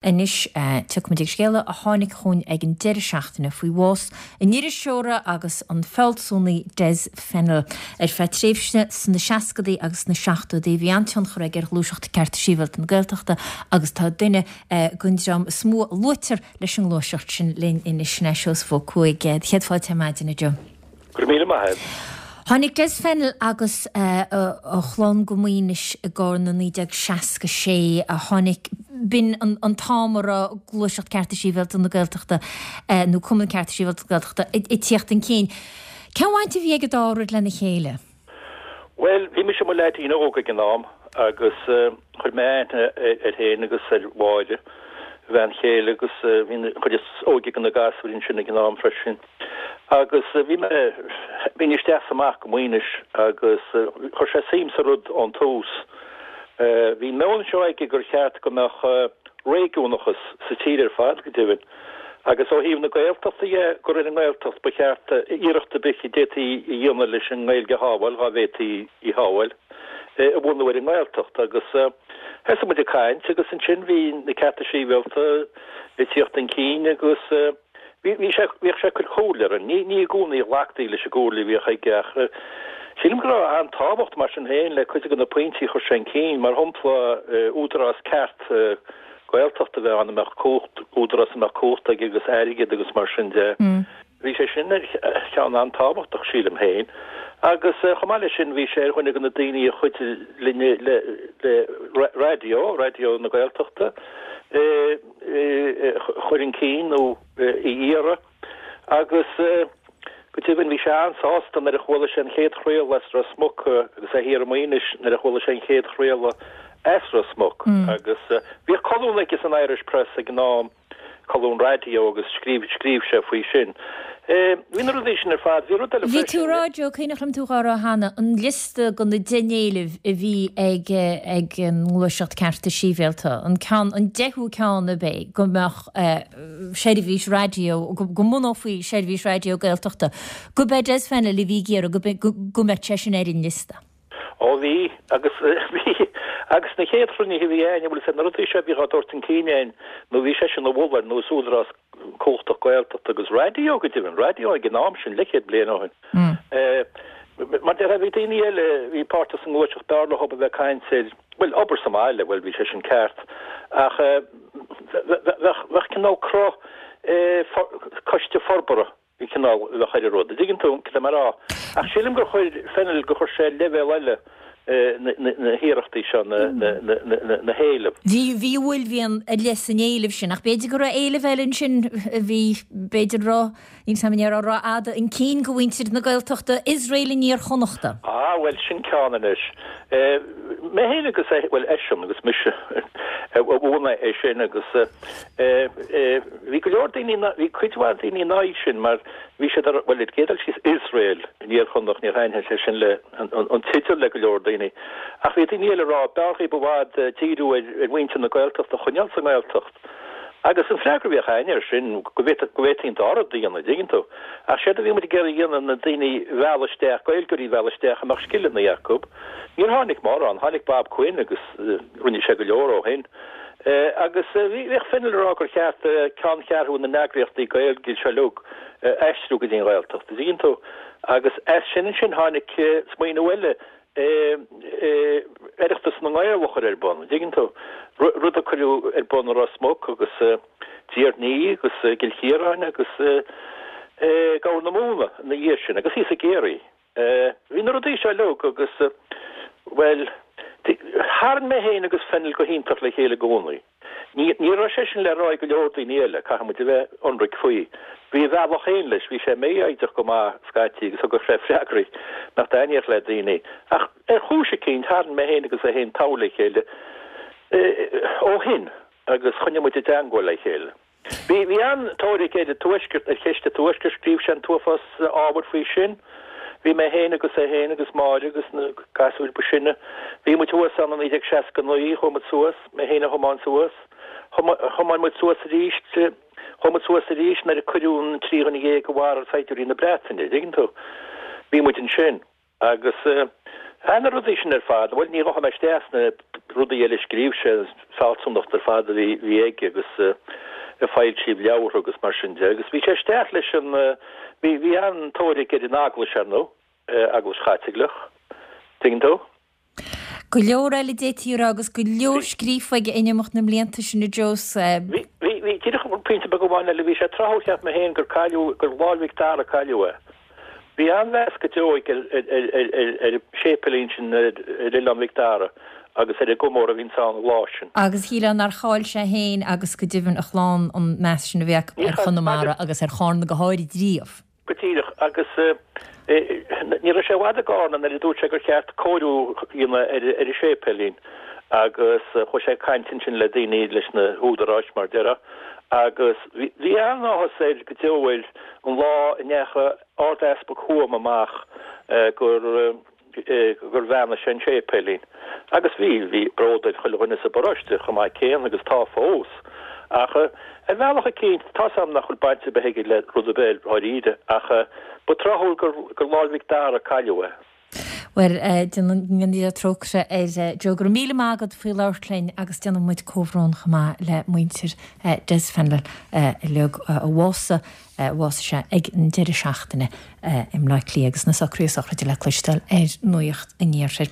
Anois, tiocfaimid ag scéala a tháinig chugainn ag an deireadh seachtaine faoi bhás an iriseora agus an fealsúnaí Des Fennell. Ar feadh tréimhse sna seascadaí agus sna seachtóidí bhí an-tionchar aige ar ghluaiseacht Cearta Sibhialta na Gaeltachta agus tá duine den dream is mó a luaitear leis an ngluaiseacht sin linn anois, sin é Seosamh Ó Cuaig. Céad fáilte ar maidin, a Joe. Go raibh míle maith agat. Tháinig Des Fennell agus a chlann go Maínis i gCarna 1966 a tháinig, b'in an t-am a raibh Gluaiseacht Cearta Sibhialta na Gaeltachta nó Cumann Cearta Sibhialta na Gaeltachta ag tíocht chun cinn. Cén bhaint a bhí ag an dá rud lena chéile? Bhuel, bhí mise i mo leaidín óg ag an am agus chuir mé aithne air féin agus ar Mháire, a bhean chéile, agus bhí an chuid is óige de na gasúir ansin ag an am freisin. Agus bhí mé, bhínn isteach is amach go Maínis agus chuir sé suim sa rud ón tús. Bhí an meon seo aige gur cheart go mbeadh réigiúnachas sa tír ar fad, go deimhin. Agus ó thaobh na Gaeltachta dhe, gur ar an nGaeltacht ba cheart iarracht ar bith a d'fhéadfaí a dhéanamh leis an nGaeilge a shábháil, dhá bhféadfaí í shábháil, a bhunú ar an nGaeltacht. Agus thosaigh muid ag caint agus ansin bhí na cearta sibhialta ag tíocht chun cinn agus bhí sé, bhíodh sé ag cur comhairle orainn. Ní, ní i gcónaí a ghlactaí leis an gcomhairle a bhíodh aige ach sílim go raibh an-tábhacht mar sin féin le cuid de na pointí a chuir sé chun cinn, mar shampla údarás ceart Gaeltacht a bheith ann a mbeadh cumhacht, údarás a mbeadh cumhacht aige agus airgead agus mar sin de. Bhí sé sin ar cheann an-tábhachtach, sílim féin. Agus chomh maith leis sin bhí sé ar dhuine de na daoine a chuidigh linn le raidió, Raidió na Gaeltachta, a chur chun cinn nó a iarraidh. Agus go deimhin bhí sé an-sásta nuair a chuala sé an chéad chraoladh as Ros Muc agus é thiar i Maínis nuair a chuala sé an chéad chraoladh as Ros Muc. Agus bhíodh colún aige san Irish Press ag an am, colún raidió agus scríobh, scríobh sé faoi sin. Bhí na rudaí sin ar fad. Bhí rud eile freisin. Bhí tú ag rá, Joe, cuimhneach liom tú dhá rá cheana, an liosta de na 10 n-éileamh a bhí ag ag an nGluaiseacht Cearta Sibhialta, an ceann, an deichiú ceann ab é go mbeadh, seirbhís raidió, go mbunófaí seirbhís raidió Gaeltachta, gurb é Des Fennell a bhí ag iarraidh go go mbeadh sé sin ar an liosta. Ó bhí, agus bhí, agus na chéad chruinnithe a bhí a'inn, bhuel is é na rudaí seo a bhíodh á dtabhairt chun cinn a'inn, nó bhí seisean a mholadh ar nós údarás cumhachtach Gaeltachta agus raidió go deimhin, raidió ag an am sin, leathchéad bliain ó shin. Mar déarfá, bhí daoine eile a bhí páirteach sa ngluaiseacht, b'fhearr leo a bheith ag caint ar, bhuel, obair sa mbaile, bhuel, bhí sé sin ceart, ach bheadh, bheadh cineál cruth coiste forbartha, cineál, a bheadh ar an rud, an dtuigeann tú cad tá mé a rá? Ach sílim gur chuir Fennell, gur chuir sé leibhéal eile na hiarrachtaí seo, na héilimh. Bhí, bhí uaillmhian ar leith san éileamh sin, ach b'fhéidir go raibh éileamh eile ansin a bhí, b'fhéidir ró, níl 's a'm an ndéarfá rófhada chun cinn do mhuintir na Gaeltachta, Iosrael in Iar-Chonnachta. Ah, bhuel, sin ceann anois. Mé féin agus é, bhuel, eisean agus mise a bhunaigh é sin agus bhí go leor daoine, bhí cuid mhaith daoine in aghaidh sin mar bhí siad ar, bhuel, ar an gcéad dul síos Iosrael in Iar-Chonnacht, níor thaitnigh sé sin le, an teideal le go leor daoine. Ach bhí daoine eile ag rá, b'fhearr dhaoib i bhfad díriú ar mhuintir na Gaeltachta a choinneáil sa nGaeltacht. Agus an freagra a bhíodh a'inn air sin, go bhféadfaí an dá rud a dhéanamh, an dtuigeann tú. Ach séard a bhí muid ag iarraidh a dhéanamh na daoine a mhealladh isteach, Gaeilgeoirí a mhealladh isteach a mbeadh scileanna acu. Níor tháinig mórán, tháinig Bob Quinn agus rinne sé go leor ó shin. Agus bhíodh Fennell ag rá gur cheart ceanncheathrú na n-eagraíochtaí Gaeilge seo uilig a aistriú go dtí an Ghaeltacht, an dtuigeann tú. Agus as sin ansin tháinig smaoineamh eile, Oireachtas na nGael a chur ar bun, an dtuigeann tú? Rud a cuireadh ar bun i Ros Muc agus Tír an Fhia agus i gCill Chiaráin agus i gCorr na Móna ina dhiaidh sin agus thíos i gCiarraí. Bhí na rudaí seo uilig agus, bhuel, tharraing mé féin agus Fennell go hiontach le chéile i gcónaí. Ní raibh sé sin le rá ag go leor daoine eile, caithfidh muid a bheith ionraic faoi. Bhí a bhealach féin leis, bhí sé mífhoighdeach go maith scaití agus thugadh sé freagraí nach dtaitníodh le daoine. Ach ar chúis eicínt, tharraing mé féin agus é féin togha le chéile ó shin agus choinnigh muid i dteangmháil le chéile. Bhí bhí an-tóir aige ar an Tuaisceart, ar cheist an Tuaiscirt, scríobh sé an t-uafás ábhair faoi sin. Bhí mé féin agus é féin agus Máire agus na gasúir ba sine, bhí muid thuas ann i 1969, chuaigh muid suas, mé féin a thiomáin suas, thiomáin muid suas arís, chuaigh muid suas arís nuair a cuireadh an 13 dhuine a mharaigh saighdiúirí na Breataine, an dtuigeann tú. Bhí muid ansin. Agus thar na rudaí sin ar fad, bhuel, ní ghabhfaidh mé isteach sna. rudaí eile a scríobh sé, fealsúnacht ar fad a bhí aige agus ag foilsiú leabhartha agus mar sin de. Agus bhí sé isteach leis an, bhí, bhí an-tóir aige ar an Eaglais, ar ndóigh, Eaglais Chaitliceach, tuigeann tú. Go leor eile d'fhéadfaí a rá agus go leor scríofa aige in imeacht na mblianta sin, a Joe. Bhí, bhí, bhí, díreach pointe beag amháin eile, bhí sé tráthúil cheap mé féin gur cailleadh, gur Lá'l Mhic Dara a cailleadh é. Bhí an-mheas go deo aige ar, ar, ar, ar, ar an séipéilín sin ar, ar Oileán Mhic Dara agus ar an gcomóradh a bhíonns ann an lá sin. Agus shílfeá nár chaill sé féin agus go deimhin a chlann an meas sin a bhí acu ar Chonamara agus ar Chárna go háirid riamh. Go díreach, agus ní raibh sé i bhfad i gCárna nuair a dúirt sé gur cheart cóiriú a dhéanamh ar an séipéilín agus chuaigh sé ag caint ansin le daoine, leis na húdaráis mar a déarfá, agus bhí an-áthas air go deo air an lá a ndeachaigh Ard-Easpag Thuama amach gur gur bheannaigh sé an séipéilín. Agus bhí, bhí bród ar chuile dhuine sa bparóiste chomh maith céanna agus tá fós. Ach ar bhealach eicínt, tá's a'm nach bhfuil baint ar bith aige le rud ar bith dháiríre, ach ba tráthúil gur, gur Lá'l Mhic Dara a cailleadh é. Bhuel, go ndéana Dia trócaire air. Joe, go raibh míle maith agat faoi labhairt linn agus déanann muid comhbhrón chomh maith le muintir Des Fennell uilig a bhásaigh. Bhásaigh sé ag an deireadh seachtaine i mBleá Cliath agus na socruithe sochraide le cloisteáil ar Nuacht an Iarthair.